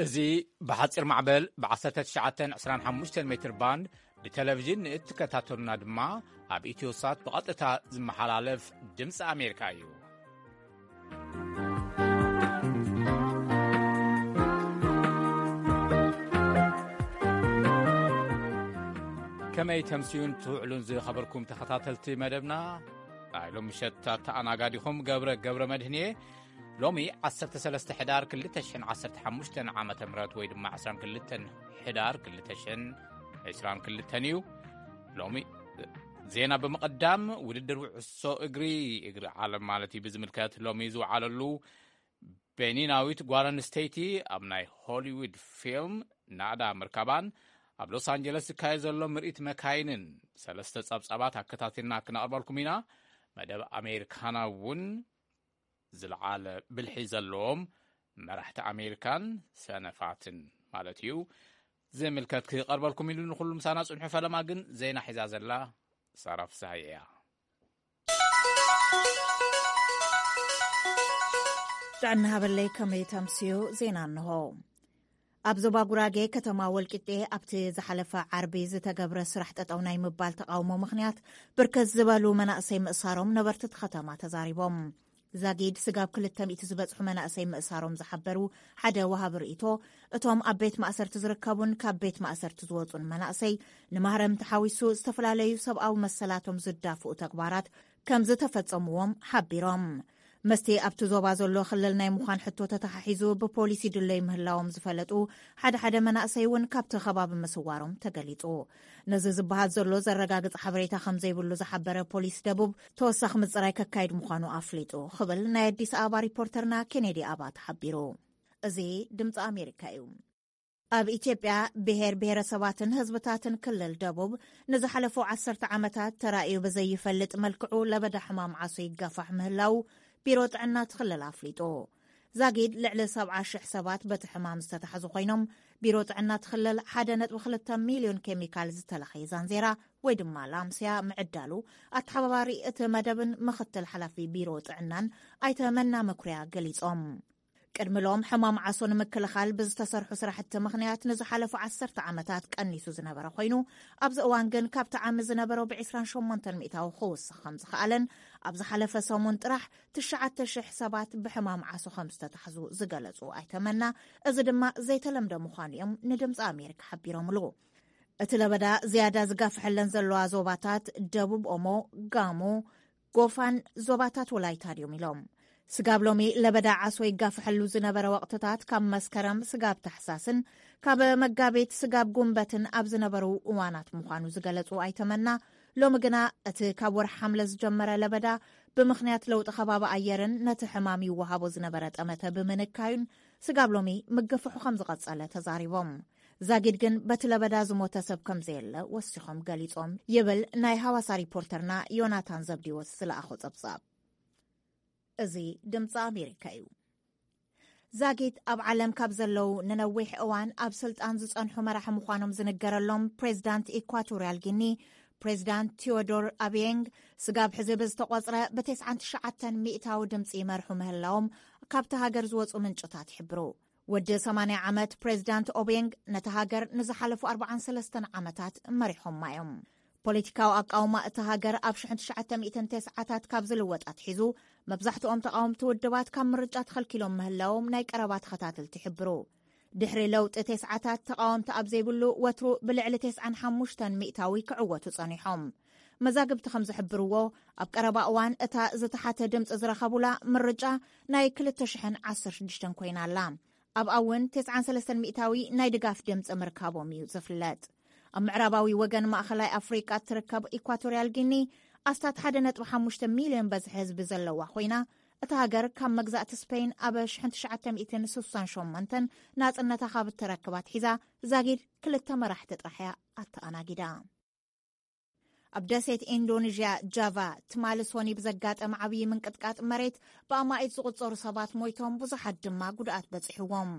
እዚ ብሓጺር ማዕበል ብ1925 ሜትር ባንድ ብቴሌቪዥን ንእትከታተሉና ድማ ኣብ ኢትዮሳት ብቐጥታ ዝመሓላለፍ ድምፂ ኣሜሪካ እዩ። ከመይ ተምስዩን ትውዕሉን ዝኸበርኩም ተኸታተልቲ መደብና፣ ናይ ሎም ምሸት ኣተኣናጋዲኹም ገብረ ገብረ መድህን እየ። ሎሚ 13 ሕዳር 2015 ዓመተ ምህረት ወይ ድማ 22 ሕዳር 2022 እዩ። ሎሚ ዜና ብምቕዳም፣ ውድድር ውዕሶ እግሪ፣ እግሪ ዓለም ማለት እዩ፣ ብዝምልከት ሎሚ ዝወዓለሉ ቤኒናዊት ጓል ኣንስተይቲ ኣብ ናይ ሆሊውድ ፊልም ናእዳ ምርካባን ኣብ ሎስ ኣንጀለስ ዝካየድ ዘሎ ምርኢት መካይንን ሰለስተ ጸብጻባት ኣከታቲልና ክነቕርበልኩም ኢና። መደብ ኣሜሪካና እውን ዝለዓለ ብልሒ ዘለዎም መራሕቲ ኣሜሪካን ሰነፋትን ማለት እዩ ዝምልከት ክቐርበልኩም ኢሉ ንኹሉ ምሳና ጽንሑ። ፈለማ ግን ዜና ሒዛ ዘላ ሳራ ፍስሃየ እያ። ጥዕና ሃበለይ፣ ከመይ ተምስዩ? ዜና እንሆ። ኣብ ዞባ ጉራጌ ከተማ ወልቂጤ ኣብቲ ዝሓለፈ ዓርቢ ዝተገብረ ስራሕ ጠጠው ናይ ምባል ተቃውሞ ምኽንያት ብርክት ዝበሉ መናእሰይ ምእሳሮም ነበርቲ እቲ ከተማ ተዛሪቦም። ዛጊድ ስጋብ 200 ዝበጽሑ መናእሰይ ምእሳሮም ዝሓበሩ ሓደ ወሃቢ ርእይቶ፣ እቶም ኣብ ቤት ማእሰርቲ ዝርከቡን ካብ ቤት ማእሰርቲ ዝወጹን መናእሰይ ንማህረምቲ ሓዊሱ ዝተፈላለዩ ሰብኣዊ መሰላቶም ዝዳፍኡ ተግባራት ከም ዝተፈጸምዎም ሓቢሮም። መስቲ ኣብቲ ዞባ ዘሎ ክልል ናይ ምዃን ሕቶ ተተሓሒዙ ብፖሊስ ይድለዩ ምህላዎም ዝፈለጡ ሓደ ሓደ መናእሰይ እውን ካብቲ ከባቢ ምስዋሮም ተገሊጹ። ነዚ ዝበሃል ዘሎ ዘረጋግጽ ሓበሬታ ከም ዘይብሉ ዝሓበረ ፖሊስ ደቡብ፣ ተወሳኺ ምጽራይ ከካይድ ምዃኑ ኣፍሊጡ ክብል ናይ ኣዲስ ኣበባ ሪፖርተርና ኬኔዲ ኣባተ ሓቢሩ። እዚ ድምፂ ኣሜሪካ እዩ። ኣብ ኢትዮጵያ ብሄር ብሄረሰባትን ህዝብታትን ክልል ደቡብ ንዝሓለፉ ዓሰርተ ዓመታት ተራእዩ ብዘይፈልጥ መልክዑ ለበዳ ሕማም ዓሶ ይጋፋሕ ምህላው ቢሮ ጥዕና እቲ ክልል ኣፍሊጡ። ዛጊድ ልዕሊ 70,000 ሰባት በቲ ሕማም ዝተታሕዙ ኮይኖም፣ ቢሮ ጥዕና እቲ ክልል 1.2 ሚልዮን ኬሚካል ዝተለኸየ ዛንዜራ ወይ ድማ ላምስያ ምዕዳሉ ኣተሓባባሪ እቲ መደብን ምኽትል ሓላፊ ቢሮ ጥዕናን ኣይተ መና መኩርያ ገሊጾም። ቅድሚ ሎም ሕማም ዓሶ ንምክልኻል ብዝተሰርሑ ስራሕቲ ምኽንያት ንዝሓለፉ ዓሰርተ ዓመታት ቀኒሱ ዝነበረ ኮይኑ፣ ኣብዚ እዋን ግን ካብቲ ዓሚ ዝነበሮ ብ28% ክውስኽ ከም ዝኸኣለን፣ ኣብ ዝሓለፈ ሰሙን ጥራሕ ትሽዓተ ሽሕ ሰባት ብሕማም ዓሶ ከም ዝተታሕዙ ዝገለጹ ኣይተ መና፣ እዚ ድማ ዘይተለምደ ምዃኑ እዮም ንድምፂ ኣሜሪካ ሓቢሮምሉ። እቲ ለበዳ ዝያዳ ዝጋፍሐለን ዘለዋ ዞባታት ደቡብ ኦሞ፣ ጋሞ፣ ጎፋን ዞባታት ወላይታን እዮም ኢሎም። ስጋብ ሎሚ ለበዳ ዓሶ ይጋፍሐሉ ዝነበረ ወቕትታት ካብ መስከረም ስጋብ ታሕሳስን ካብ መጋቢት ስጋብ ጉንበትን ኣብ ዝነበሩ እዋናት ምዃኑ ዝገለጹ ኣይተ መና፣ ሎሚ ግና እቲ ካብ ወርሒ ሓምለ ዝጀመረ ለበዳ ብምኽንያት ለውጢ ከባቢ ኣየርን ነቲ ሕማም ይወሃቦ ዝነበረ ጠመተ ብምንካዩን ስጋብ ሎሚ ምግፍሑ ከም ዝቐጸለ ተዛሪቦም። ዛጊድ ግን በቲ ለበዳ ዝሞተ ሰብ ከም ዘየለ ወሲኾም ገሊጾም ይብል ናይ ሃዋሳ ሪፖርተርና ዮናታን ዘብዲዎስ ዝለኣኾ ጸብጻብ። እዚ ድምፂ ኣሜሪካ እዩ። ዛጊድ ኣብ ዓለም ካብ ዘለዉ ንነዊሕ እዋን ኣብ ስልጣን ዝጸንሑ መራሒ ምዃኖም ዝንገረሎም ፕሬዚዳንት ኢኳቶሪያል ጊኒ፣ ፕሬዚዳንት ቴዎዶር ኣቢየንግ፣ ስጋብ ሕዚ ብዝተቖጽረ ብ99% ሚእታዊ ድምፂ ይመርሑ ምህላዎም ካብቲ ሃገር ዝወፁ ምንጭታት ይሕብሩ። ወዲ 80 ዓመት ፕሬዚዳንት ኦቤንግ ነቲ ሃገር ንዝሓለፉ 43 ዓመታት መሪሖማ እዮም። ፖለቲካዊ ኣቃውማ እታ ሃገር ኣብ 1990ታት ካብ ዝልወጥ ኣትሒዙ፣ መብዛሕትኦም ተቓወምቲ ውድባት ካብ ምርጫ ተኸልኪሎም ምህላዎም ናይ ቀረባ ተኸታተልቲ ይሕብሩ። ድሕሪ ለውጢ ተስዓታት ተቓወምቲ ኣብ ዘይብሉ ወትሩ ብልዕሊ 95% ክዕወቱ ጸኒሖም። መዛግብቲ ከም ዝሕብርዎ፣ ኣብ ቀረባ እዋን እታ ዝተሓተ ድምፂ ዝረኸቡላ ምርጫ ናይ 2016 ኮይና ኣላ። ኣብኣ እውን 93% ናይ ድጋፍ ድምፂ ምርካቦም እዩ ዝፍለጥ። ኣብ ምዕራባዊ ወገን ማእኸላይ ኣፍሪቃ እትርከብ ኢኳቶሪያል ጊኒ ኣስታት 1.5 ሚልዮን በዝሒ ህዝቢ ዘለዋ ኮይና፣ እታ ሃገር ካብ መግዛእቲ ስፔን ኣብ 1968 ናጽነታ ካብ እተረክብ ኣትሒዛ ዛጊድ ክልተ መራሕቲ ጥራሕ እያ ኣተኣናጊዳ። ኣብ ደሴት ኢንዶኔዥያ ጃቫ ትማሊ ሶኒ ብዘጋጠመ ዓብዪ ምንቅጥቃጥ መሬት ብኣማኢት ዝቑጸሩ ሰባት ሞይቶም፣ ብዙሓት ድማ ጉድኣት በጺሕዎም።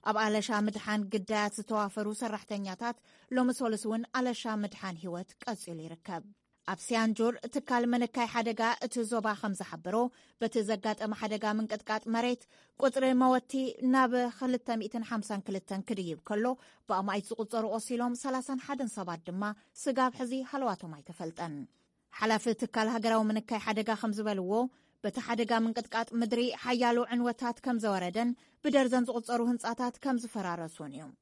ኣብ ኣለሻ ምድሓን ግዳያት ዝተዋፈሩ ሰራሕተኛታት ሎሚ ሶሉስ እውን ኣለሻ ምድሓን ህይወት ቀጺሉ ይርከብ። ኣብ ሲያንጁር ትካል ምንካይ ሓደጋ እቲ ዞባ ከም ዝሓበሮ፣ በቲ ዘጋጠመ ሓደጋ ምንቅጥቃጥ መሬት ቁጽሪ መወቲ ናብ ክልተ ሚእትን ሓምሳን ክልተን ክድይብ ከሎ፣ ብኣማኢት ዝቑጸሩ ቆሲሎም፣ ሰላሳን ሓደን ሰባት ድማ ስጋብ ሕዚ ሃለዋቶም ኣይተፈልጠን። ሓላፊ ትካል ሃገራዊ ምንካይ ሓደጋ ከም ዝበልዎ፣ በቲ ሓደጋ ምንቅጥቃጥ ምድሪ ሓያሎ ዕንወታት ከም ዘወረደን ብደርዘን ዝቑጸሩ ህንጻታት ከም ዝፈራረሱን እዮም።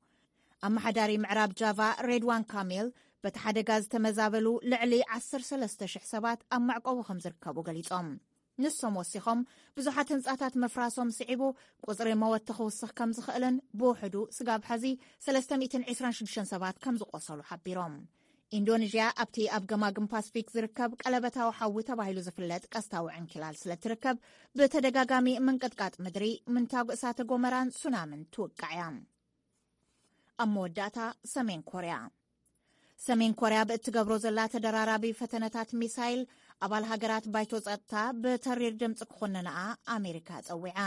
ኣመሓዳሪ ምዕራብ ጃቫ ሬድዋን ካሜል፣ በቲ ሓደጋ ዝተመዛበሉ ልዕሊ ዓሰርተ ሰለስተ ሽሕ ሰባት ኣብ መዕቆቢ ከም ዝርከቡ ገሊጾም። ንሶም ወሲኾም፣ ብዙሓት ህንጻታት ምፍራሶም ስዒቡ፣ ቁጽሪ መወቲ ክውስኽ ከም ዝኽእልን፣ ብውሕዱ ስጋብ ሕዚ ሰለስተ ሚእትን ዕስራን ሽዱሽተን ሰባት ከም ዝቆሰሉ ሓቢሮም። ኢንዶኔዥያ ኣብቲ ኣብ ገማግም ፓስፊክ ዝርከብ ቀለበታዊ ሓዊ ተባሂሉ ዝፍለጥ ቀስታዊ ዕንኪላል ስለ ትርከብ፣ ብተደጋጋሚ ምንቅጥቃጥ ምድሪ፣ ምንታጉ እሳተ ጎመራን ሱናምን ትውቃዕ እያ። ኣብ መወዳእታ፣ ሰሜን ኮርያ። ሰሜን ኮርያ ብእትገብሮ ዘላ ተደራራቢ ፈተነታት ሚሳይል፣ ኣባል ሃገራት ባይቶ ጸጥታ ብተሪር ድምፂ ክኾነንኣ ኣሜሪካ ጸዊዓ።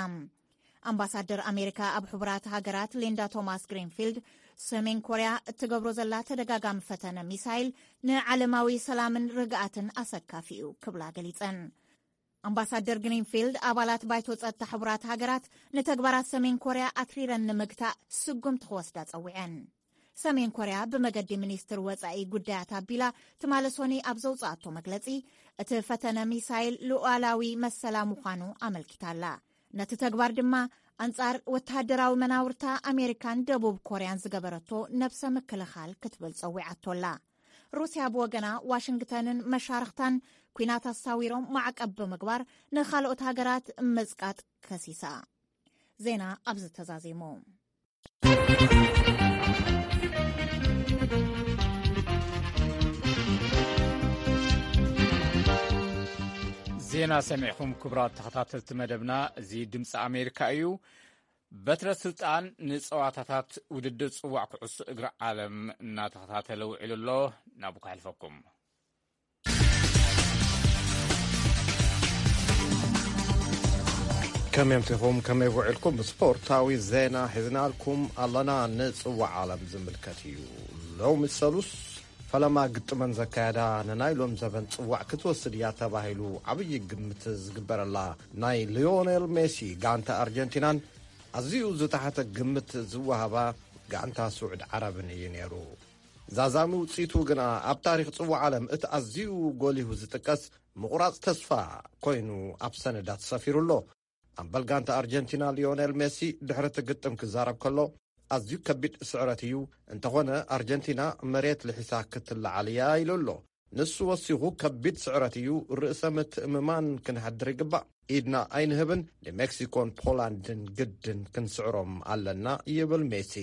ኣምባሳደር ኣሜሪካ ኣብ ሕቡራት ሃገራት ሊንዳ ቶማስ ግሪንፊልድ፣ ሰሜን ኮርያ እትገብሮ ዘላ ተደጋጋሚ ፈተነ ሚሳይል ንዓለማዊ ሰላምን ርግኣትን ኣሰካፊ እዩ ክብላ ገሊጸን። ኣምባሳደር ግሪንፊልድ፣ ኣባላት ባይቶ ጸጥታ ሕቡራት ሃገራት ንተግባራት ሰሜን ኮርያ ኣትሪረን ንምግታእ ስጉምቲ ክወስዳ ጸዊዐን። ሰሜን ኮርያ ብመገዲ ሚኒስትር ወጻኢ ጉዳያት ኣቢላ፣ ትማሊ ሶኒ ኣብ ዘውጽኣቶ መግለጺ፣ እቲ ፈተነ ሚሳይል ሉዓላዊ መሰላ ምዃኑ ኣመልኪታላ። ነቲ ተግባር ድማ፣ ኣንጻር ወተሃደራዊ መናውርታ ኣሜሪካን ደቡብ ኮርያን ዝገበረቶ ነብሰ ምክልኻል ክትብል ጸዊዓቶላ። ሩስያ ብወገና፣ ዋሽንግተንን መሻርኽታን ኲናት ኣሳዊሮም ማዕቀብ ብምግባር፣ ንኻልኦት ሃገራት ምጽቃጥ ከሲሳ። ዜና ኣብዚ ተዛዚሙ። ዜና ሰሚዕኹም፣ ክቡራት ተኸታተልቲ መደብና። እዚ ድምፂ ኣሜሪካ እዩ። በትረ ስልጣን ንፀዋታታት ውድድር ፅዋዕ ኩዕሶ እግሪ ዓለም እናተኸታተለ ውዒሉ ኣሎ። ናብኡ ከሕልፈኩም። ከመይ ኣምሲኹም? ከመይ ውዒልኩም? ስፖርታዊ ዜና ሒዝናልኩም ኣለና። ንጽዋዕ ዓለም ዝምልከት እዩ። ሎሚ ሰሉስ ፈለማ ግጥመን ዘካየዳ፣ ንናይ ሎም ዘበን ጽዋዕ ክትወስድ እያ ተባሂሉ ዓብዪ ግምት ዝግበረላ ናይ ሊዮኔል ሜሲ ጋንታ ኣርጀንቲናን፣ ኣዝዩ ዝተሓተ ግምት ዝወሃባ ጋንታ ስዑድ ዓረብን እዩ ነይሩ። ዛዛሚ ውጽኢቱ ግና ኣብ ታሪኽ ጽዋዕ ዓለም እቲ ኣዝዩ ጎሊሁ ዝጥቀስ ምቑራጽ ተስፋ ኮይኑ ኣብ ሰነዳት ሰፊሩ ኣሎ። ኣምበል ጋንታ ኣርጀንቲና ሊዮኔል ሜሲ ድሕሪ እቲ ግጥም ክዛረብ ከሎ፣ ኣዝዩ ከቢድ ስዕረት እዩ፣ እንተኾነ ኣርጀንቲና መሬት ልሒሳ ክትለዓል እያ ኢሉ ኣሎ። ንሱ ወሲኹ፣ ከቢድ ስዕረት እዩ፣ ርእሰ ምትእምማን ክንሕድር ይግባእ፣ ኢድና ኣይንህብን፣ ንሜክሲኮን ፖላንድን ግድን ክንስዕሮም ኣለና ይብል ሜሲ።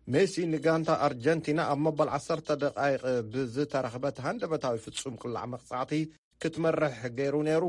ሜሲ ንጋንታ ኣርጀንቲና ኣብ መበል ዓሰርተ ደቓይቕ ብዝተረኽበት ሃንደበታዊ ፍጹም ቅላዕ መቕጻዕቲ ክትመርሕ ገይሩ ነይሩ።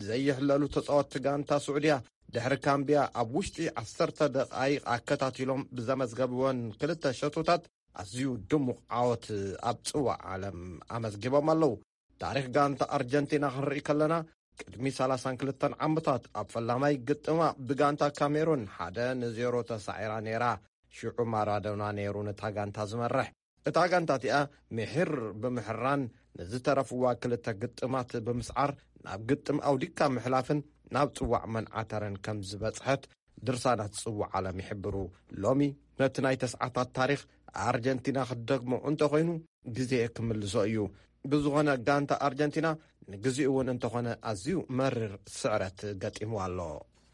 ዘይሕለሉ ተጻወትቲ ጋንታ ስዑድያ ድሕሪ ካምብያ ኣብ ውሽጢ ዓሰርተ ደቓይቕ ኣከታቲሎም ብዘመዝገብወን ክልተ ሸቶታት ኣዝዩ ድሙቕ ዓወት ኣብ ጽዋዕ ዓለም ኣመዝጊቦም ኣለዉ። ታሪኽ ጋንታ ኣርጀንቲና ክንርኢ ከለና፣ ቅድሚ ሰላሳን ክልተን ዓመታት ኣብ ፈላማይ ግጥማ ብጋንታ ካሜሩን ሓደ ንዜሮ ተሳዒራ ነይራ። ሽዑ ማራዶና ነይሩ ነታ ጋንታ ዝመርሕ። እታ ጋንታ እቲኣ ምሒር ብምሕራን፣ ንዝተረፍዋ ክልተ ግጥማት ብምስዓር፣ ናብ ግጥም ኣውዲካ ምሕላፍን ናብ ጽዋዕ መንዓተረን ከም ዝበጽሐት ድርሳናት ጽዋዕ ዓለም ይሕብሩ። ሎሚ ነቲ ናይ ተስዓታት ታሪኽ ኣርጀንቲና ክትደግሞ እንተኾይኑ፣ ግዜ ክምልሶ እዩ። ብዝኾነ፣ ጋንታ ኣርጀንቲና ንግዚኡ እውን እንተኾነ ኣዝዩ መሪር ስዕረት ገጢምዋ ኣሎ።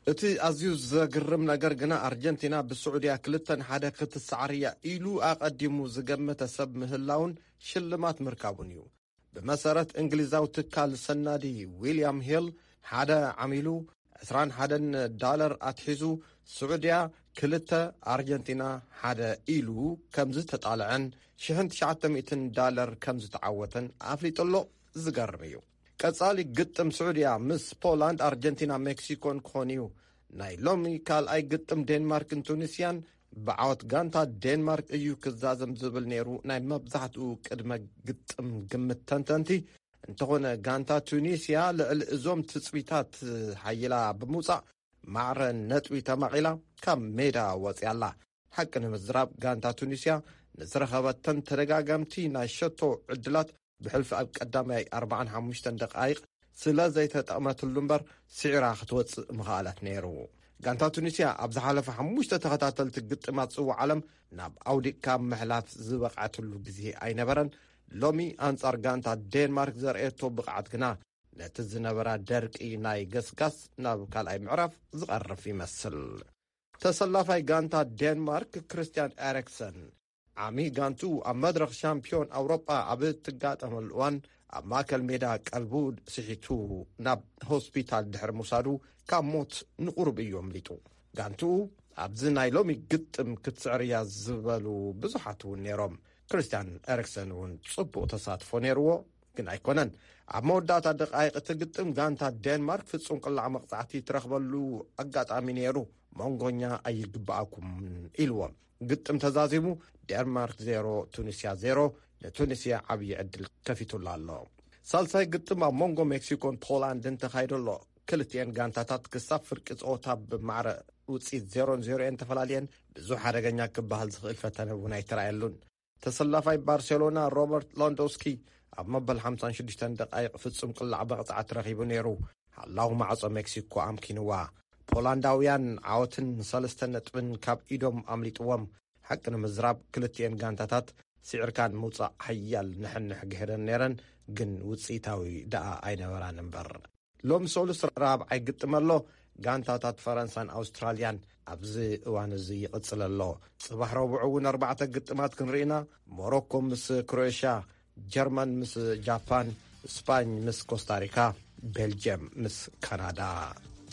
እቲ ኣዝዩ ዘግርም ነገር ግና፣ ኣርጀንቲና ብስዑድያ ክልተ ንሓደ ክትሰዓር እያ ኢሉ ኣቐዲሙ ዝገመተ ሰብ ምህላውን ሽልማት ምርካቡን እዩ። ብመሰረት እንግሊዛዊ ትካል ሰናዲ ዊልያም ሂል፣ ሓደ ዓሚሉ ዕስራን ሓደን ዳለር ኣትሒዙ፣ ስዑድያ ክልተ፣ ኣርጀንቲና ሓደ ኢሉ ከም ዝተጣልዐን ሽሕን ትሽዓተ ሚእትን ዳለር ከም ዝተዓወተን ኣፍሊጡ ኣሎ። ዝገርም እዩ። ቀጻሊ ግጥም ስዑድያ ምስ ፖላንድ፣ ኣርጀንቲና፣ ሜክሲኮን ክኾን እዩ። ናይ ሎሚ ካልኣይ ግጥም ዴንማርክን ቱኒስያን ብዓወት ጋንታ ዴንማርክ እዩ ክዛዘም ዝብል ነይሩ ናይ መብዛሕትኡ ቅድመ ግጥም ግምት ተንተንቲ። እንተኾነ፣ ጋንታ ቱኒስያ ልዕሊ እዞም ትጽቢታት ሓይላ ብምውጻእ፣ ማዕረ ነጥቢ ተማቒላ ካብ ሜዳ ወጺኣ ኣላ። ሓቂ ንምዝራብ፣ ጋንታ ቱኒስያ ንዝረኸበተን ተደጋጋምቲ ናይ ሸቶ ዕድላት ብሕልፊ ኣብ ቀዳማይ ኣርባዓን ሓሙሽተን ደቃይቕ ስለ ዘይተጠቕመትሉ እምበር፣ ስዒራ ክትወጽእ ምኽኣለት ነይሩ። ጋንታ ቱኒስያ ኣብ ዝሓለፈ ሓሙሽተ ተኸታተልቲ ግጥማት ጽዋዕ ዓለም ናብ ኣውዲቕካ ምሕላፍ ዝበቕዐትሉ ግዜ ኣይነበረን። ሎሚ ኣንጻር ጋንታ ዴንማርክ ዘርእየቶ ብቕዓት ግና፣ ነቲ ዝነበራ ደርቂ ናይ ገስጋስ ናብ ካልኣይ ምዕራፍ ዝቐርፍ ይመስል። ተሰላፋይ ጋንታ ዴንማርክ ክርስቲያን ኤሪክሰን፣ ዓሚ ጋንቱ ኣብ መድረኽ ሻምፒዮን ኣውሮጳ ኣብ እትጋጠመሉ እዋን፣ ኣብ ማእከል ሜዳ ቀልቡ ስሒቱ ናብ ሆስፒታል ድሕሪ ምውሳዱ፣ ካብ ሞት ንቑሩብ እዩ ኣምሊጡ። ጋንቱ ኣብዚ ናይ ሎሚ ግጥም ክትስዕር እያ ዝበሉ ብዙሓት እውን ነይሮም። ክርስቲያን ኤሪክሰን እውን ጽቡቕ ተሳትፎ ነይርዎ፣ ግን ኣይኮነን። ኣብ መወዳእታ ደቃይቕ እቲ ግጥም፣ ጋንታ ዴንማርክ ፍጹም ቅላዕ መቕጻዕቲ ትረኽበሉ ኣጋጣሚ ነይሩ። መንጎኛ ኣይግብኣኩምን ኢልዎም። ግጥም ተዛዚሙ፣ ዴንማርክ ዜሮ፣ ቱኒስያ ዜሮ፣ ንቱኒስያ ዓብዪ ዕድል ከፊቱላ ኣሎ። ሳልሳይ ግጥም ኣብ መንጎ ሜክሲኮን ፖላንድን ተኻይዱ ኣሎ። ክልቲኤን ጋንታታት ክሳብ ፍርቂ ጸወታ ብማዕረ ውጽኢት ዜሮ ን ዜሮ እየን ተፈላልየን። ብዙሕ ሓደገኛ ክበሃል ዝኽእል ፈተነ እውን ኣይተራእየሉን። ተሰላፋይ ባርሴሎና ሮበርት ሎንዶስኪ ኣብ መበል ሓምሳን ሽዱሽተን ደቃይቕ ፍጹም ቅላዕ መቕጻዕቲ ረኺቡ ነይሩ። ሓላው ማዕጾ ሜክሲኮ ኣምኪንዋ። ፖላንዳውያን ዓወትን ሰለስተ ነጥብን ካብ ኢዶም ኣምሊጥዎም። ሓቂ ንምዝራብ፣ ክልቲኤን ጋንታታት ስዒርካን ምውጻእ ሓያል ንሕንሕ ገይረን ነይረን፣ ግን ውጽኢታዊ ደኣ ኣይነበራን እምበር። ሎሚ ሰሉስ ራብዓይ ግጥም ኣሎ። ጋንታታት ፈረንሳን ኣውስትራልያን ኣብዚ እዋን እዚ ይቕጽል ኣሎ። ጽባሕ ረቡዕ እውን ኣርባዕተ ግጥማት ክንርኢና። ሞሮኮ ምስ ክሮኤሽያ፣ ጀርመን ምስ ጃፓን፣ ስፓኝ ምስ ኮስታሪካ፣ ቤልጅየም ምስ ካናዳ።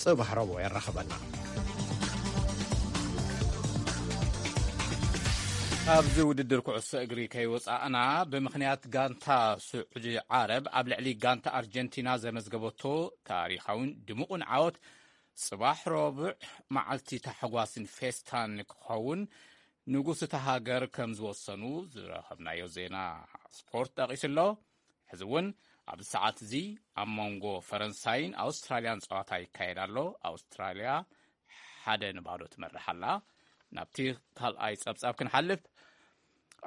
ጽባሕ ረቡዕ የራኽበና። ኣብዚ ውድድር ኩዕሶ እግሪ ከይወጻእና፣ ብምኽንያት ጋንታ ስዑዲ ዓረብ ኣብ ልዕሊ ጋንታ ኣርጀንቲና ዘመዝገበቶ ታሪኻውን ድሙቕን ዓወት፣ ጽባሕ ረቡዕ መዓልቲ ታሕጓስን ፌስታን ክኸውን ንጉስ እታ ሃገር ከም ዝወሰኑ ዝረኸብናዮ ዜና ስፖርት ጠቒሱ ኣሎ። ሕዚ እውን ኣብዚ ሰዓት እዚ ኣብ መንጎ ፈረንሳይን ኣውስትራልያን ጸዋታ ይካየድ ኣሎ። ኣውስትራልያ ሓደ ንባዶ ትመርሕ ኣላ። ናብቲ ካልኣይ ጸብጻብ ክንሓልፍ፣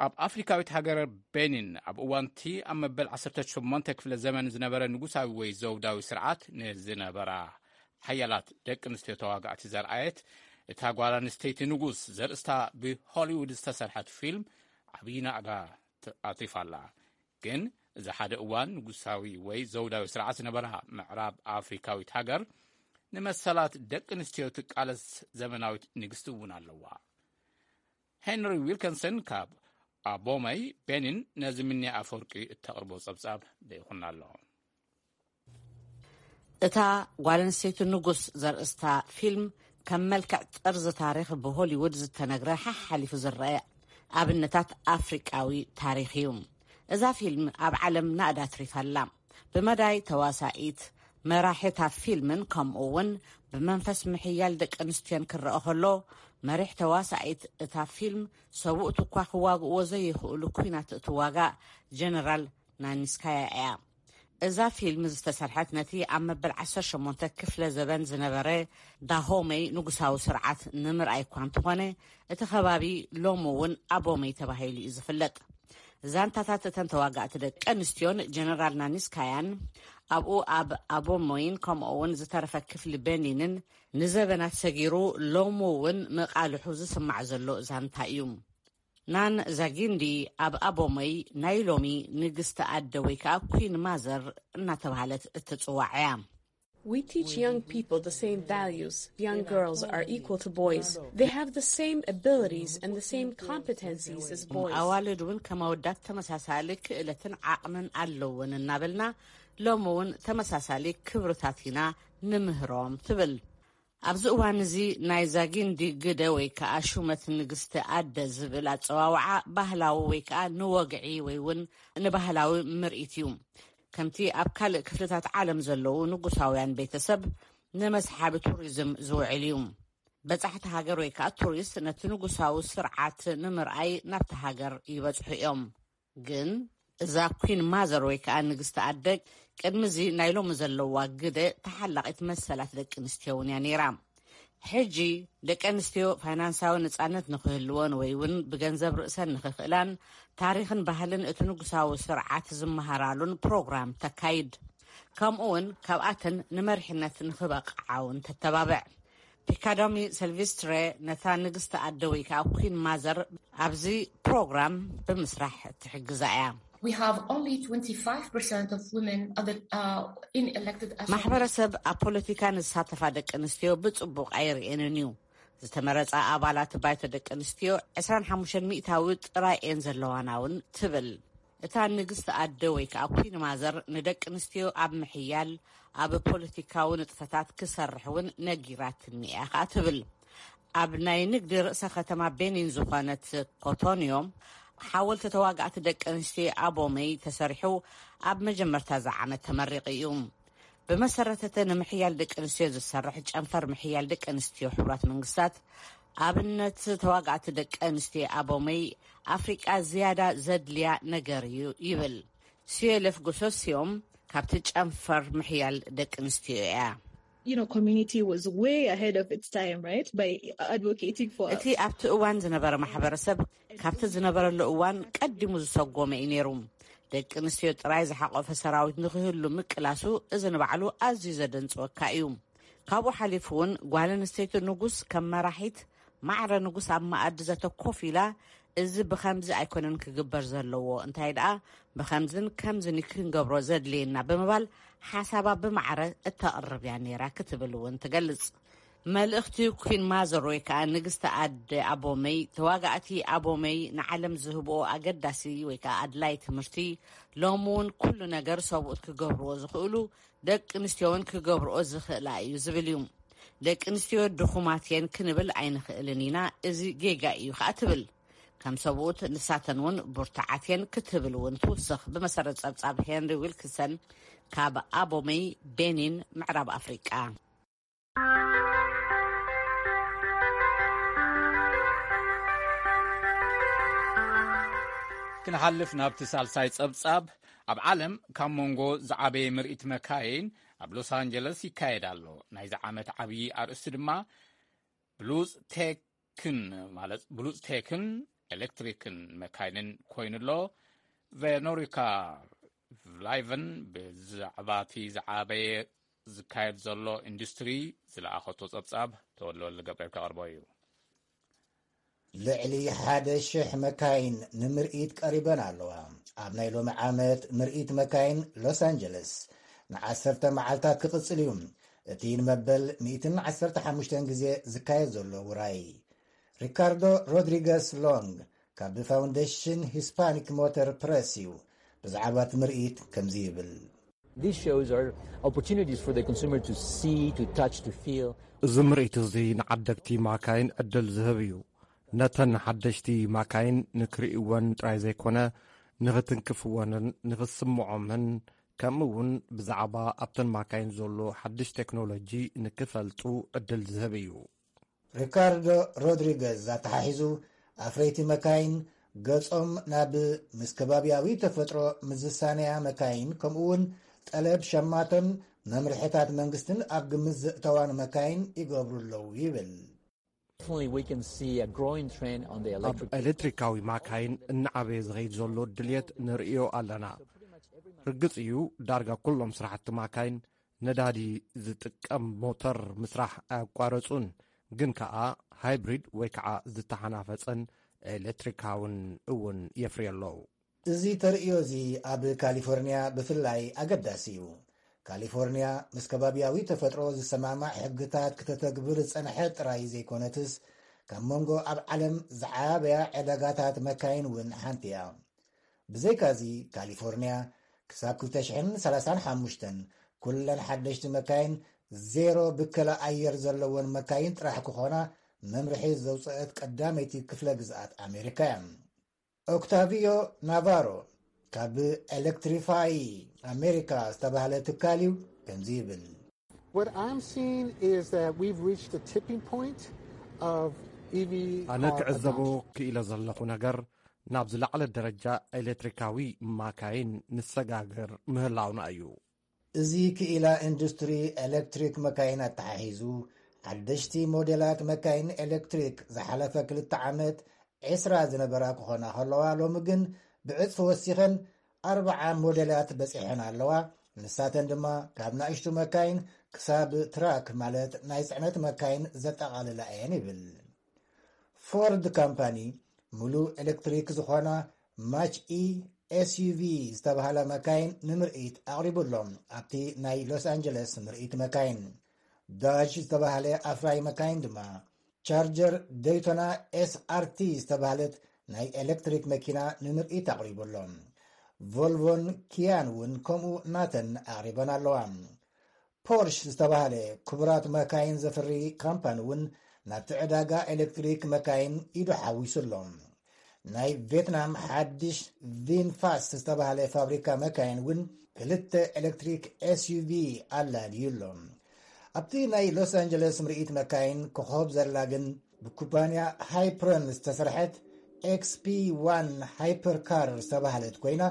ኣብ ኣፍሪካዊት ሃገር ቤኒን ኣብ እዋንቲ ኣብ መበል ዓሰርተ ሸሞንተ ክፍለ ዘመን ዝነበረ ንጉሳዊ ወይ ዘውዳዊ ስርዓት ንዝነበራ ሓያላት ደቂ ኣንስትዮ ተዋጋእቲ ዘርኣየት እታ ጓል ኣንስተይቲ ንጉስ ዘርእስታ ብሆሊውድ ዝተሰርሐት ፊልም ዓብዪ ናእዳ ኣትሪፋ ኣላ። ግን እዚ ሓደ እዋን ንጉሳዊ ወይ ዘውዳዊ ስርዓት ዝነበራ ምዕራብ ኣፍሪካዊት ሃገር ንመሰላት ደቂ ኣንስትዮ ትቃለስ ዘመናዊት ንግስቲ እውን ኣለዋ። ሄንሪ ዊልከንሰን ካብ ኣቦመይ ቤኒን ነዚ ምንያ ኣፈወርቂ እተቕርቦ ጸብጻብ ልኢኹና ኣሎ። እታ ጓል ኣንስተይቲ ንጉስ ዘርእስታ ፊልም ከም መልክዕ ጥርዚ ታሪኽ ብሆሊውድ ዝተነግረ ሓሓሊፉ ዝረአ ኣብነታት ኣፍሪቃዊ ታሪኽ እዩ። እዛ ፊልም ኣብ ዓለም ናእዳ ኣትሪፋ ኣላ። ብመዳይ ተዋሳኢት፣ መራሒታ ፊልምን ከምኡ እውን ብመንፈስ ምሕያል ደቂ ኣንስትዮን ክረአ ከሎ፣ መሪሕ ተዋሳኢት እታ ፊልም ሰብኡት እኳ ክዋግእዎ ዘይኽእሉ ኲናት እትዋጋእ ጀነራል ናኒስካያ እያ። እዛ ፊልም ዝተሰርሐት ነቲ ኣብ መበል ዓሰርተ ሸሞንተ ክፍለ ዘበን ዝነበረ ዳሆመይ ንጉሳዊ ስርዓት ንምርኣይ እኳ እንተኾነ፣ እቲ ከባቢ ሎሚ እውን ኣቦመይ ተባሂሉ እዩ ዝፍለጥ። ዛንታታት እተን ተዋጋእቲ ደቂ ኣንስትዮን ጀነራል ናኒስካያን ኣብኡ ኣብ ኣቦሞይን ከምኡ እውን ዝተረፈ ክፍሊ በኒንን ንዘበናት ሰጊሩ ሎሚ እውን መቓልሑ ዝስማዕ ዘሎ ዛንታ እዩ። ናን ዛጊንዲ ኣብ ኣቦሞይ ናይ ሎሚ ንግስቲ ኣደ ወይ ከዓ ኩን ማዘር እናተባህለት እትፅዋዕ እያ። We teach young people the same values. Young girls are equal to boys. They have the same abilities and the same competencies as boys. ኣዋልድ እውን ከም ኣወዳት ተመሳሳሊ ክእለትን ዓቕምን ኣለውን እናበልና ሎሚ እውን ተመሳሳሊ ክብርታት ኢና ንምህሮም ትብል። ኣብዚ እዋን እዚ ናይ ዛጊንዲ ግደ ወይ ከዓ ሹመት ንግስቲ ኣደ ዝብል ኣፀዋውዓ ባህላዊ ወይ ከዓ ንወግዒ ወይ እውን ንባህላዊ ምርኢት እዩ። ከምቲ ኣብ ካልእ ክፍልታት ዓለም ዘለዉ ንጉሳውያን ቤተሰብ ንመስሓቢ ቱሪዝም ዝውዕል እዩ። በጻሕቲ ሃገር ወይ ከዓ ቱሪስት ነቲ ንጉሳዊ ስርዓት ንምርኣይ ናብቲ ሃገር ይበጽሑ እዮም። ግን እዛ ኩን ማዘር ወይ ከዓ ንግስቲ ኣደ ቅድሚ እዚ ናይ ሎሚ ዘለዋ ግደ ተሓላቒት መሰላት ደቂ ኣንስትዮ እውን እያ ነይራ። ሕጂ ደቂ ኣንስትዮ ፋይናንሳዊ ነጻነት ንኽህልወን ወይ እውን ብገንዘብ ርእሰን ንኽኽእላን፣ ታሪኽን ባህልን እቲ ንጉሳዊ ስርዓት ዝመሃራሉን ፕሮግራም ተካይድ። ከምኡ እውን ካብኣተን ንመሪሕነት ንኽበቕዓ እውን ተተባብዕ። ፒካዶሚ ሰልቪስትሬ ነታ ንግስቲ ኣደ ወይ ከዓ ኩን ማዘር ኣብዚ ፕሮግራም ብምስራሕ ትሕግዛ እያ። We have only twenty-five percent of women at the, uh, in elected assembly. ማሕበረሰብ ኣብ ፖለቲካ ንዝሳተፋ ደቂ ኣንስትዮ ብጽቡቕ ኣይርእየንን እዩ። ዝተመረጻ ኣባላት ባይቶ ደቂ ኣንስትዮ ዕስራን ሓሙሽተን ሚእታዊ ጥራይ እየን ዘለዋና እውን ትብል። እታ ንግስቲ ኣደ ወይ ከዓ ኩን ማዘር ንደቂ ኣንስትዮ ኣብ ምሕያል ኣብ ፖለቲካዊ ንጥፈታት ክሰርሕ እውን ነጊራትኒ እያ ከዓ ትብል። ኣብ ናይ ንግዲ ርእሰ ከተማ ቤኒን ዝኾነት ኮቶንዮ ሓወልቲ ተዋጋእቲ ደቂ ኣንስትዮ ኣቦመይ ተሰሪሑ ኣብ መጀመርታ እዚ ዓመት ተመሪቑ እዩ። ብመሰረተተ ንምሕያል ደቂ ኣንስትዮ ዝሰርሕ ጨንፈር ምሕያል ደቂ ኣንስትዮ ሕቡራት መንግስታት ኣብነት ተዋጋእቲ ደቂ ኣንስትዮ ኣቦመይ ኣፍሪቃ ዝያዳ ዘድልያ ነገር እዩ ይብል። ሲዮለፍ ጎሶሲዮም ካብቲ ጨንፈር ምሕያል ደቂ ኣንስትዮ እያ። You know, community was way ahead of its time, right? By advocating for እቲ ኣብቲ እዋን ዝነበረ ማሕበረሰብ ካብቲ ዝነበረሉ እዋን ቀዲሙ ዝሰጎመ እዩ ነይሩ። ደቂ ኣንስትዮ ጥራይ ዝሓቆፈ ሰራዊት ንክህሉ ምቅላሱ እዚ ንባዕሉ ኣዝዩ ዘደንፅወካ እዩ። ካብኡ ሓሊፉ እውን ጓል ኣንስተይቲ ንጉስ ከም መራሒት ማዕረ ንጉስ ኣብ መኣዲ ዘተ ኮፍ ኢላ፣ እዚ ብኸምዚ ኣይኮነን ክግበር ዘለዎ፣ እንታይ ደኣ ብኸምዝን ከምዝን ክንገብሮ ዘድልየና ብምባል ሓሳባ ብማዕረ እተቕርብ እያ ነይራ ክትብል እውን ትገልጽ። መልእኽቲ ኩን ማዘር ወይ ከዓ ንግስቲ ኣደ ኣቦመይ፣ ተዋጋእቲ ኣቦመይ ንዓለም ዝህብኦ ኣገዳሲ ወይ ከዓ ኣድላይ ትምህርቲ፣ ሎሚ እውን ኩሉ ነገር ሰብኡት ክገብርዎ ዝኽእሉ ደቂ ኣንስትዮ እውን ክገብርኦ ዝኽእላ እዩ ዝብል እዩ። ደቂ ኣንስትዮ ድኹማት እየን ክንብል ኣይንኽእልን ኢና፣ እዚ ጌጋ እዩ ከዓ ትብል። ከም ሰብኡት ንሳተን እውን ብርቱዓት እየን ክትብል እውን ትውስኽ። ብመሰረት ጸብጻብ ሄንሪ ዊልክሰን ካብ ኣቦመይ ቤኒን ምዕራብ ኣፍሪቃ። ክንሓልፍ ናብቲ ሳልሳይ ጸብጻብ፣ ኣብ ዓለም ካብ መንጎ ዝዓበየ ምርኢት መካይን ኣብ ሎስ ኣንጀለስ ይካየድ ኣሎ። ናይዚ ዓመት ዓብዪ ኣርእስቲ ድማ ብሉጽ ቴክን ማለት ብሉጽ ቴክን ኤሌክትሪክን መካይንን ኮይኑ ኣሎ። ቬኖሪካ ላይቨን ብዛዕባ እቲ ዝዓበየ ዝካየድ ዘሎ ኢንዱስትሪ ዝለኣኸቶ ጸብጻብ ተወልደወልድ ገብርኤል ከቕርቦ እዩ። ልዕሊ ሓደ ሽሕ መካይን ንምርኢት ቀሪበን ኣለዋ። ኣብ ናይ ሎሚ ዓመት ምርኢት መካይን ሎስ ኣንጀለስ ንዓሰርተ መዓልታት ክቕጽል እዩ። እቲ ንመበል ሚእትን ዓሰርተ ሓሙሽተን ግዜ ዝካየድ ዘሎ ውራይ። ሪካርዶ ሮድሪገስ ሎንግ ካብ ፋውንዴሽን ሂስፓኒክ ሞተር ፕረስ እዩ ብዛዕባ እቲ ምርኢት ከምዚ ይብል። These shows are opportunities for the consumer to see, to touch, to feel. እዚ ምርኢት እዚ ንዓደግቲ ማካይን ዕድል ዝህብ እዩ። ነተን ሓደሽቲ ማካይን ንክርእይወን ጥራይ ዘይኮነ፣ ንኽትንክፍወንን ንኽስምዖምን፣ ከምኡ እውን ብዛዕባ ኣብተን ማካይን ዘሎ ሓድሽ ቴክኖሎጂ ንክፈልጡ ዕድል ዝህብ እዩ። ሪካርዶ ሮድሪገዝ ኣተሓሒዙ፣ ኣፍረይቲ መካይን ገጾም ናብ ምስ ከባብያዊ ተፈጥሮ ምዝሳነያ መካይን፣ ከምኡውን ጠለብ ሸማቶን መምርሕታት መንግስትን ኣብ ግምት ዘእተዋን መካይን ይገብሩ ኣለዉ ይብል። Definitely, we can see a growing trend on the ኣብ electric. ኤሌክትሪካዊ ማካይን እናዓበየ ዝኸይድ ዘሎ ድልየት ንርእዮ ኣለና። ርግጽ እዩ፣ ዳርጋ ኩሎም ስራሕቲ ማካይን ነዳዲ ዝጥቀም ሞተር ምስራሕ ኣያቋረጹን፣ ግን ከኣ ሃይብሪድ ወይ ከኣ ዝተሓናፈጸን ኤሌክትሪካውን እውን የፍርዮ ኣለዉ። እዚ ተርእዮ እዚ ኣብ ካሊፎርኒያ ብፍላይ ኣገዳሲ እዩ። ካሊፎርኒያ ምስ ከባብያዊ ተፈጥሮ ዝሰማማዕ ሕግታት ክተተግብር ዝጸንሐት ጥራይ ዘይኮነትስ፣ ካብ መንጎ ኣብ ዓለም ዝዓበያ ዕዳጋታት መካይን እውን ሓንቲ እያ። ብዘይካዚ፣ ካሊፎርኒያ ክሳብ ክልተ ሽሕን ሰላሳን ሓሙሽተን ኩለን ሓደሽቲ መካይን ዜሮ ብከላ ኣየር ዘለወን መካይን ጥራሕ ክኾና መምርሒ ዘውፅአት ቀዳመይቲ ክፍለ ግዝኣት ኣሜሪካ እያ። ኦክታቪዮ ናቫሮ ካብ ኤሌክትሪፋይ ኣሜሪካ ዝተባህለ ትካል እዩ ከምዚ ይብል። What I'm seeing is that we've reached the tipping point of E V ኣነ car ክዕዘቦ adoption. ክኢለ ዘለኹ ነገር፣ ናብ ዝለዓለ ደረጃ ኤሌክትሪካዊ ማካይን ንሰጋገር ምህላውና እዩ። እዚ ክኢላ ኢንዱስትሪ ኤሌክትሪክ መካይን ኣተሓሒዙ ሓደሽቲ ሞዴላት መካይን ኤሌክትሪክ ዝሓለፈ ክልተ ዓመት ዕስራ ዝነበራ ክኾና ከለዋ፣ ሎሚ ግን ብዕጽፊ ወሲኸን ኣርብዓ ሞዴላት በጺሐን ኣለዋ። ንሳተን ድማ ካብ ንኣሽቱ መካይን ክሳብ ትራክ፣ ማለት ናይ ጽዕነት መካይን ዘጠቓልላ እየን ይብል። ፎርድ ካምፓኒ ምሉእ ኤሌክትሪክ ዝኾና ማች ኢ ኤስዩቪ ዝተባህላ መካይን ንምርኢት ኣቕሪቡ ኣሎ ኣብቲ ናይ ሎስ ኣንጀለስ ምርኢት መካይን። ዳጅ ዝተባህለ ኣፍራይ መካይን ድማ ቻርጀር ደይቶና ኤስኣርቲ ዝተባህለት ናይ ኤሌክትሪክ መኪና ንምርኢት ኣቕሪቡ ኣሎ። ቮልቮን ኪያን እውን ከምኡ ናተን ኣቕሪበን ኣለዋ። ፖርሽ ዝተባህለ ክቡራት መካይን ዘፍሪ ካምፓኒ እውን ናብቲ ዕዳጋ ኤሌክትሪክ መካይን ኢዱ ሓዊሱ ኣሎ። ናይ ቬትናም ሓድሽ ቪንፋስ ዝተባህለ ፋብሪካ መካይን እውን ክልተ ኤሌክትሪክ ኤስዩቪ ኣላልዩ ኣሎ። ኣብቲ ናይ ሎስ ኣንጀለስ ምርኢት መካይን ኮኾብ ዘላ ግን ብኩባንያ ሃይፕረን ዝተሰርሐት ኤክስፒ ዋን ሃይፐርካር ዝተባህለት ኮይና፣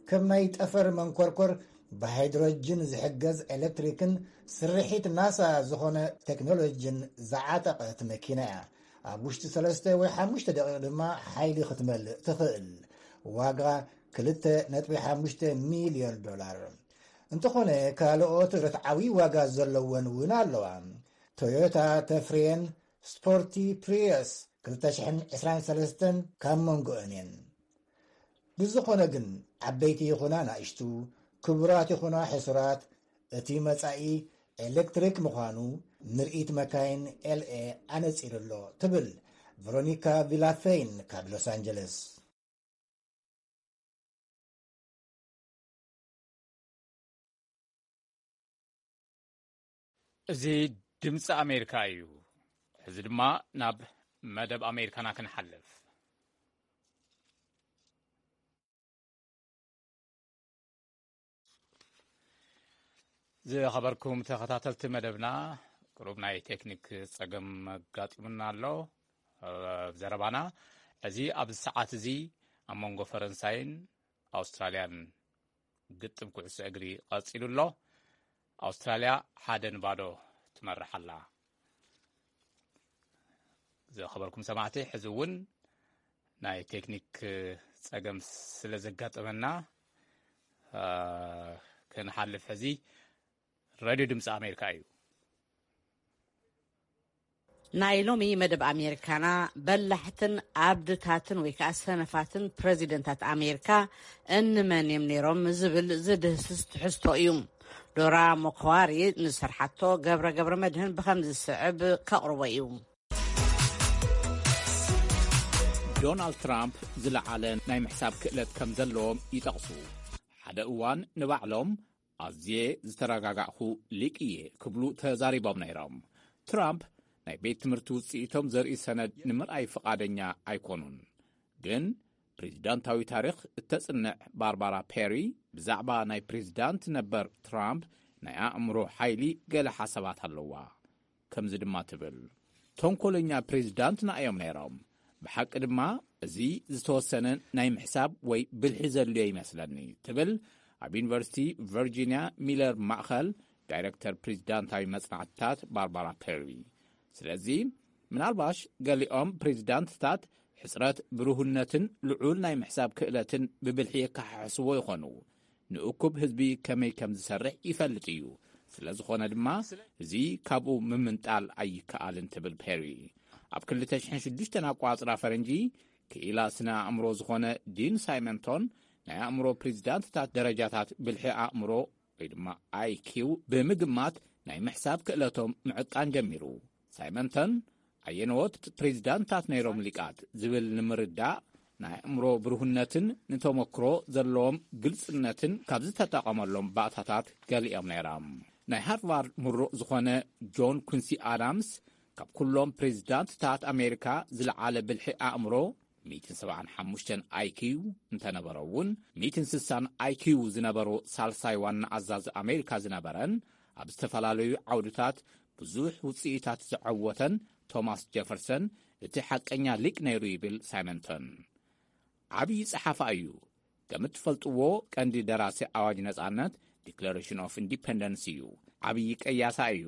ከም ናይ ጠፈር መንኮርኮር ብሃይድሮጅን ዝሕገዝ ኤሌክትሪክን ስርሒት ናሳ ዝኾነ ቴክኖሎጂን ዝዓጠቐት መኪና እያ። ኣብ ውሽጢ ሰለስተ ወይ ሓሙሽተ ደቂቕ ድማ ሓይሊ ክትመልእ ትኽእል። ዋጋ ክልተ ነጥቢ ሓሙሽተ ሚልዮን ዶላር። እንተኾነ፣ ካልኦት ርትዓዊ ዋጋ ዘለወን እውን ኣለዋ። ቶዮታ ተፍርየን ስፖርቲ ፕሪየስ ክልተ ሽሕን ዕስራን ሰለስተን ካብ መንጎአን እየን። ብዝኾነ ግን፣ ዓበይቲ ይኹና ናእሽቱ፣ ክቡራት ይኹና ሕሱራት፣ እቲ መጻኢ ኤሌክትሪክ ምዃኑ ምርኢት መካይን ኤልኤ ኣነጺሩ ኣሎ፣ ትብል ቨሮኒካ ቪላፌይን ካብ ሎስ ኣንጀለስ። እዚ ድምፂ ኣሜሪካ እዩ። ሕዚ ድማ ናብ መደብ ኣሜሪካና ክንሓልፍ። ዝኸበርኩም ተኸታተልቲ መደብና፣ ቅሩብ ናይ ቴክኒክ ጸገም ኣጋጢሙና ኣሎ። ኣብ ዘረባና፣ እዚ ኣብዚ ሰዓት እዚ ኣብ መንጎ ፈረንሳይን ኣውስትራልያን ግጥም ኩዕሶ እግሪ ቀጺሉ ኣሎ። ኣውስትራልያ ሓደ ንባዶ ትመርሕ ኣላ። ዝኸበርኩም ሰማዕቲ፣ ሕዚ እውን ናይ ቴክኒክ ጸገም ስለ ዘጋጠመና፣ እ፣ ክንሓልፍ። ሕዚ ሬድዮ ድምፂ ኣሜሪካ እዩ። ናይ ሎሚ መደብ ኣሜሪካና በላሕትን ኣብድታትን ወይ ከዓ ሰነፋትን ፕረዚደንታት ኣሜሪካ እንመን እዮም ነይሮም ዝብል ዝድህስስ ትሕዝቶ እዩ። ዶራ ሞኮዋሪ ንዝሰርሓቶ ገብረ ገብረ መድህን ብኸም ዝስዕብ ከቕርቦ እዩ። ዶናልድ ትራምፕ ዝለዓለ ናይ ምሕሳብ ክእለት ከም ዘለዎም ይጠቕሱ። ሓደ እዋን ንባዕሎም ኣዝየ ዝተረጋጋእኹ ሊቅ እየ ክብሉ ተዛሪቦም ነይሮም። ትራምፕ ናይ ቤት ትምህርቲ ውፅኢቶም ዘርኢ ሰነድ ንምርኣይ ፍቓደኛ ኣይኮኑን። ግን ፕሬዚዳንታዊ ታሪኽ እተጽንዕ ባርባራ ፔሪ ብዛዕባ ናይ ፕሬዚዳንት ነበር ትራምፕ ናይ ኣእምሮ ሓይሊ ገለ ሓሳባት ኣለዋ። ከምዚ ድማ ትብል፣ "ተንኮለኛ ፕሬዚዳንትና እዮም ነይሮም። ብሓቂ ድማ እዚ ዝተወሰነ ናይ ምሕሳብ ወይ ብልሒ ዘድልዮ ይመስለኒ" ትብል ኣብ ዩኒቨርሲቲ ቨርጂንያ ሚለር ማእኸል ዳይሬክተር ፕሬዚዳንታዊ መጽናዕትታት ባርባራ ፔሪ። ስለዚ ምናልባሽ ገሊኦም ፕሬዚዳንትታት ሕጽረት ብሩህነትን ልዑል ናይ ምሕሳብ ክእለትን ብብልሒ የከሓሕስዎ ይኾኑ። ንእኩብ ህዝቢ ከመይ ከም ዝሰርሕ ይፈልጥ እዩ። ስለ ዝኾነ ድማ እዚ ካብኡ ምምንጣል ኣይከኣልን ትብል ፔሪ። ኣብ ክልተ ሽሕን ሽዱሽተን ኣቋጽራ ፈረንጂ ክኢላ ስነ ኣእምሮ ዝኾነ ዲን ሳይመንቶን ናይ ኣእምሮ ፕሬዚዳንትታት ደረጃታት ብልሒ ኣእምሮ ወይ ድማ ኣይኪው ብምግማት ናይ ምሕሳብ ክእለቶም ምዕቃን ጀሚሩ። ሳይመንተን ኣየነዎት ፕሬዚዳንታት ነይሮም ሊቃት ዝብል ንምርዳእ ናይ ኣእምሮ ብሩህነትን ንተመክሮ ዘለዎም ግልጽነትን ካብ ዝተጠቐመሎም ባእታታት ገሊኦም ነይሮም። ናይ ሃርቫርድ ምሩቕ ዝኾነ ጆን ኩንሲ ኣዳምስ ካብ ኩሎም ፕሬዚዳንትታት ኣሜሪካ ዝለዓለ ብልሒ ኣእምሮ ሚእትን ሰብዓን ሓሙሽተን ኣይኪው እንተነበሮ እውን፣ ሚእትን ስሳን ኣይኪው ዝነበሮ ሳልሳይ ዋና ኣዛዚ ኣሜሪካ ዝነበረን ኣብ ዝተፈላለዩ ዓውድታት ብዙሕ ውፅኢታት ዘዐወተን ቶማስ ጀፈርሰን እቲ ሓቀኛ ሊቅ ነይሩ ይብል ሳይመንተን። ዓብዪ ጸሓፋ እዩ። ከም እትፈልጥዎ ቀንዲ ደራሲ ኣዋጅ ነጻነት፣ ዲክለሬሽን ኦፍ ኢንዲፐንደንስ እዩ። ዓብዪ ቀያሳ እዩ።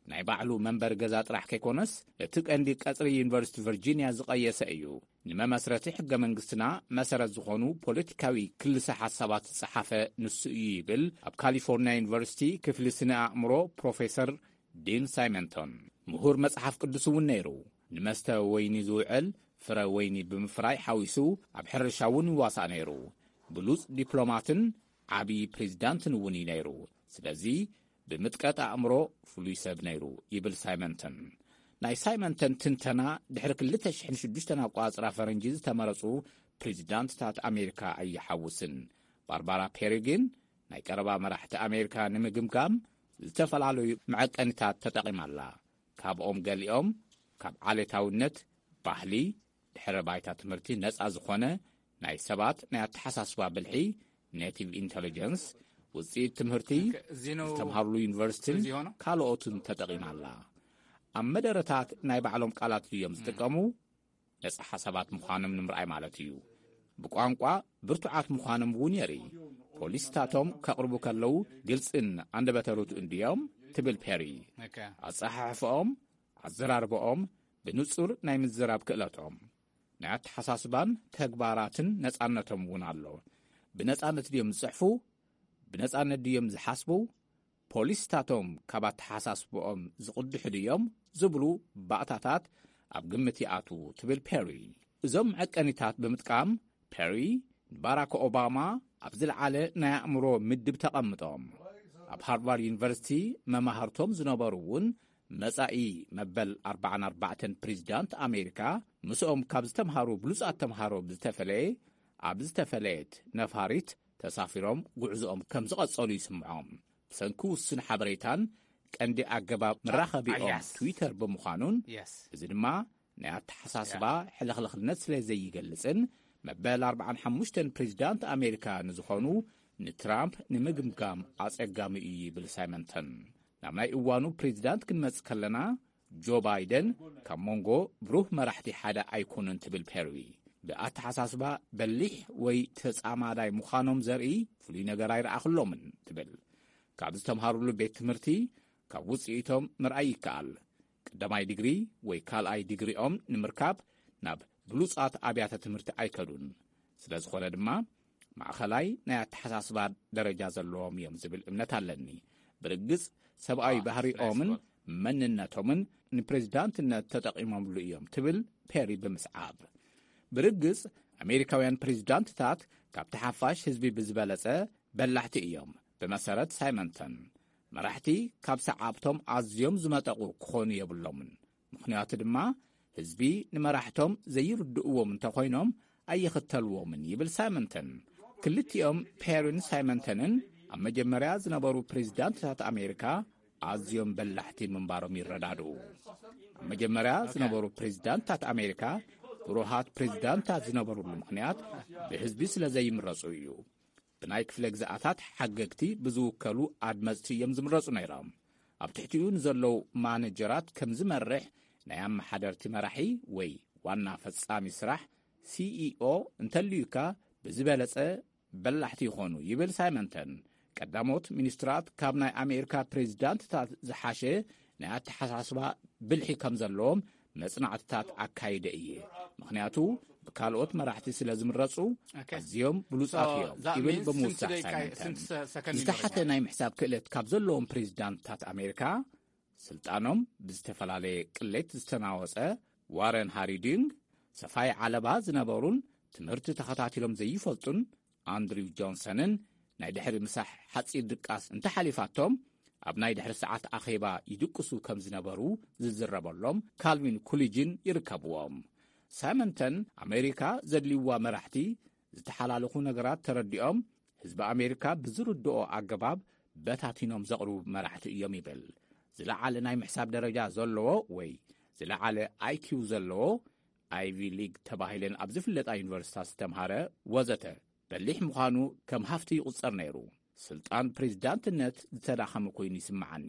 ናይ ባዕሉ መንበሪ ገዛ ጥራሕ ከይኮነስ፣ እቲ ቀንዲ ቀጽሪ ዩኒቨርሲቲ ቨርጂንያ ዝቐየሰ እዩ። ንመመስረቲ ሕገ መንግስትና መሰረት ዝኾኑ ፖለቲካዊ ክልሰ ሓሳባት ዝጸሓፈ ንሱ እዩ ይብል ኣብ ካሊፎርኒያ ዩኒቨርሲቲ ክፍሊ ስነ ኣእምሮ ፕሮፌሰር ዲን ሳይመንቶን። ምሁር መጽሓፍ ቅዱስ እውን ነይሩ። ንመስተ ወይኒ ዝውዕል ፍረ ወይኒ ብምፍራይ ሓዊሱ ኣብ ሕርሻ እውን ይዋሳእ ነይሩ። ብሉጽ ዲፕሎማትን ዓቢ ፕሬዚዳንትን እውን እዩ ነይሩ። ስለዚ ብምጥቀት ኣእምሮ ፍሉይ ሰብ ነይሩ ይብል ሳይመንተን። ናይ ሳይመንተን ትንተና ድሕሪ ክልተ ሽሕን ሽዱሽተን ኣቋጽራ ፈረንጂ ዝተመረጹ ፕሬዚዳንትታት ኣሜሪካ ኣይሓውስን። ባርባራ ፔሪ ግን ናይ ቀረባ መራሕቲ ኣሜሪካ ንምግምጋም ዝተፈላለዩ መዐቀኒታት ተጠቒማ ኣላ። ካብኦም ገሊኦም ካብ ዓሌታውነት፣ ባህሊ፣ ድሕረ ባይታ ትምህርቲ ነጻ ዝኾነ ናይ ሰባት ናይ ኣተሓሳስባ ብልሒ፣ ኔቲቭ ኢንተለጀንስ፣ ውጽኢት ትምህርቲ፣ ዝተምሃሩሉ ዩኒቨርሲቲን ካልኦትን ተጠቒማ ኣላ። ኣብ መደረታት ናይ ባዕሎም ቃላት ድዮም ዝጥቀሙ? ነጻ ሓሳባት ምዃኖም ንምርኣይ ማለት እዩ። ብቋንቋ ብርቱዓት ምዃኖም እውን የርኢ። ፖሊስታቶም ከቕርቡ ከለዉ ግልጽን ኣንደበተ ርቱዕን ድዮም? ትብል ፔሪ። ኣጸሓሕፈኦም፣ ኣዘራርበኦም፣ ብንጹር ናይ ምዝራብ ክእለቶም፣ ናይ ኣተሓሳስባን ተግባራትን ነጻነቶም እውን ኣሎ። ብነጻነት ድዮም ዝጽሕፉ? ብነጻነት ድዮም ዝሓስቡ? ፖሊስታቶም ካብ ኣተሓሳስብኦም ዝቕድሑ ድዮም? ዝብሉ ባእታታት ኣብ ግምት ይኣትዉ ትብል ፔሪ። እዞም መዐቀኒታት ብምጥቃም ፔሪ ንባራክ ኦባማ ኣብ ዝለዓለ ናይ ኣእምሮ ምድብ ተቐምጦም። ኣብ ሃርቫርድ ዩኒቨርሲቲ መማህርቶም ዝነበሩ እውን መጻኢ መበል ኣርባዓን ኣርባዕተን ፕሬዚዳንት ኣሜሪካ ምስኦም ካብ ዝተምሃሩ ብሉጻት ተምሃሮ ብዝተፈለየ ኣብ ዝተፈለየት ነፋሪት ተሳፊሮም ጉዕዞኦም ከም ዝቐጸሉ ይስምዖም። ብሰንኪ ውሱን ሓበሬታን ቀንዲ ኣገባብ መራኸቢኦም ትዊተር ብምዃኑን፣ እዚ ድማ ናይ ኣተሓሳስባ ሕልኽልኽነት ስለ ዘይገልጽን፣ መበል ኣርባዓን ሓሙሽተን ፕሬዚዳንት ኣሜሪካ ንዝኾኑ ንትራምፕ ንምግምጋም ኣጸጋሚ እዩ ይብል ሳይመንተን። ናብ ናይ እዋኑ ፕሬዚዳንት ክንመጽእ ከለና፣ ጆ ባይደን ካብ መንጎ ብሩህ መራሕቲ ሓደ ኣይኮነን ትብል ፔሪ። ብኣተሓሳስባ በሊሕ ወይ ተጻማዳይ ምዃኖም ዘርኢ ፍሉይ ነገር ኣይረኣኽሎምን ትብል። ካብ ዝተምሃሩሉ ቤት ትምህርቲ ካብ ውጽኢቶም ምርኣይ ይከኣል። ቀዳማይ ዲግሪ ወይ ካልኣይ ዲግሪኦም ንምርካብ ናብ ብሉጻት ኣብያተ ትምህርቲ ኣይከዱን። ስለ ዝኾነ ድማ ማእኸላይ ናይ ኣተሓሳስባ ደረጃ ዘለዎም እዮም ዝብል እምነት ኣለኒ። ብርግጽ ሰብኣዊ ባህሪኦምን መንነቶምን ንፕሬዚዳንትነት ተጠቒሞምሉ እዮም ትብል ፔሪ ብምስዓብ። ብርግጽ ኣሜሪካውያን ፕሬዚዳንትታት ካብቲ ሓፋሽ ህዝቢ ብዝበለጸ በላሕቲ እዮም። ብመሰረት ሳይመንተን መራሕቲ ካብ ሰዓብቶም ኣዝዮም ዝመጠቑ ክኾኑ የብሎምን። ምኽንያቱ ድማ ህዝቢ ንመራሕቶም ዘይርድእዎም እንተኾይኖም ኣይኽተልዎምን ይብል ሳይመንተን። ክልቲኦም ፔሪን ሳይመንተንን ኣብ መጀመርያ ዝነበሩ ፕሬዚዳንትታት ኣሜሪካ ኣዝዮም በላሕቲ ምንባሮም ይረዳድኡ። ኣብ መጀመርያ ዝነበሩ ፕሬዚዳንትታት ኣሜሪካ ብሩሃት ፕሬዚዳንታት ዝነበሩሉ ምኽንያት ብህዝቢ ስለ ዘይምረጹ እዩ። ብናይ ክፍለ ግዝኣታት ሓገግቲ ብዝውከሉ ኣድመፅቲ እዮም ዝምረፁ ነይሮም። ኣብ ትሕቲኡ ንዘለዉ ማነጀራት ከም ዝመርሕ ናይ ኣመሓደርቲ መራሒ ወይ ዋና ፈፃሚ ስራሕ፣ ሲኢኦ፣ እንተልዩካ ብዝበለፀ በላሕቲ ይኾኑ ይብል ሳይመንተን። ቀዳሞት ሚኒስትራት ካብ ናይ ኣሜሪካ ፕሬዚዳንትታት ዝሓሸ ናይ ኣተሓሳስባ ብልሒ ከም ዘለዎም መጽናዕትታት ኣካይደ እየ። ምኽንያቱ ብካልኦት መራሕቲ ስለ ዝምረጹ ኣዝዮም ብሉጻት እዮም ይብል ብምውሳኽ ሳይመንተን። ዝተሓተ ናይ ምሕሳብ ክእለት ካብ ዘለዎም ፕሬዚዳንትታት ኣሜሪካ ስልጣኖም ብዝተፈላለየ ቅሌት ዝተናወጸ ዋረን ሃሪዲንግ፣ ሰፋይ ዓለባ ዝነበሩን ትምህርቲ ተኸታቲሎም ዘይፈልጡን ኣንድሪው ጆንሰንን ናይ ድሕሪ ምሳሕ ሓጺር ድቃስ እንተሓሊፋቶም፣ ኣብ ናይ ድሕሪ ሰዓት ኣኼባ ይድቅሱ ከም ዝነበሩ ዝዝረበሎም ካልቪን ኩሊጅን ይርከብዎም። ሳይመንተን ኣሜሪካ ዘድልይዋ መራሕቲ ዝተሓላለኹ ነገራት ተረዲኦም ህዝቢ ኣሜሪካ ብዝርድኦ ኣገባብ በታቲኖም ዘቕርቡ መራሕቲ እዮም ይብል። ዝለዓለ ናይ ምሕሳብ ደረጃ ዘለዎ ወይ ዝለዓለ ኣይኪው ዘለዎ፣ ኣይቪ ሊግ ተባሂለን ኣብ ዝፍለጣ ዩኒቨርሲታት ዝተምሃረ ወዘተ በሊሕ ምዃኑ ከም ሃፍቲ ይቑጸር ነይሩ። ስልጣን ፕሬዚዳንትነት ዝተዳኸመ ኮይኑ ይስምዓኒ።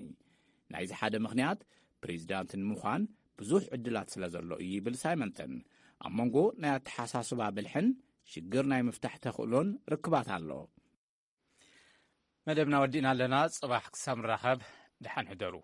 ናይዚ ሓደ ምኽንያት ፕሬዚዳንት ንምዃን ብዙሕ ዕድላት ስለ ዘሎ እዩ ይብል ሳይመንተን። ኣብ መንጎ ናይ ኣተሓሳስባ ብልሕን ሽግር ናይ ምፍታሕ ተኽእሎን ርክባት ኣሎ። መደብና ወዲእና ኣለና። ጽባሕ ክሳብ ንራኸብ ደሓን ሕደሩ።